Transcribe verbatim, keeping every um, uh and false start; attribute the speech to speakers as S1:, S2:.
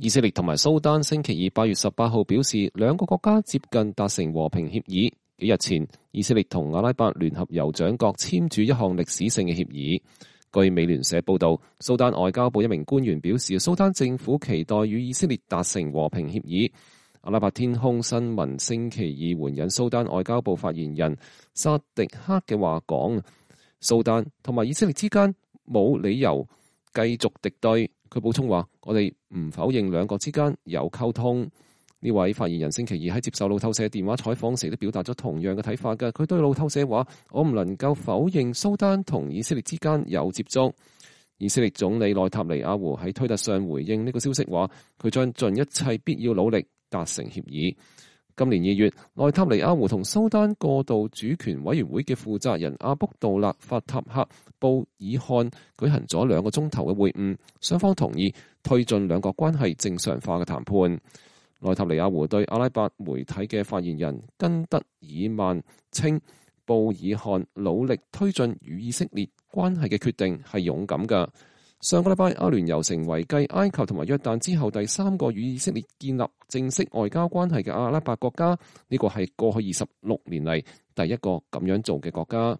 S1: 以色列同埋蘇丹星期二八月十八號表示，兩個國家接近達成和平協議。幾日前，以色列同阿拉伯聯合酋長國簽署一項歷史性嘅協議。據美聯社報道，蘇丹外交部一名官員表示，蘇丹政府期待與以色列達成和平協議。阿拉伯天空新聞星期二援引蘇丹外交部發言人薩迪克嘅話講，蘇丹同埋以色列之間冇理由繼續敵對。佢補充話：我哋唔否認兩國之間有溝通。呢位發言人星期二喺接受路透社電話採訪時都表達咗同樣嘅睇法嘅。佢對路透社話：我唔能夠否認蘇丹同以色列之間有接觸。以色列總理內塔尼亞胡喺推特上回應呢個消息話：佢將盡一切必要努力達成協議。今年二月，內塔尼亞胡同蘇丹過渡主權委員會嘅負責人阿卜杜勒法塔赫布爾漢舉行咗兩個鐘頭嘅會晤，雙方同意推進兩國關係正常化嘅談判。內塔尼亞胡對阿拉伯媒體嘅發言人根德爾曼稱，布爾漢努力推進與以色列關係嘅決定係勇敢㗎。上個禮拜，阿聯酋成為繼埃及同埋約旦之後第三個與以色列建立正式外交關係嘅阿拉伯國家，呢個係過去二十六年嚟第一個咁樣做嘅國家。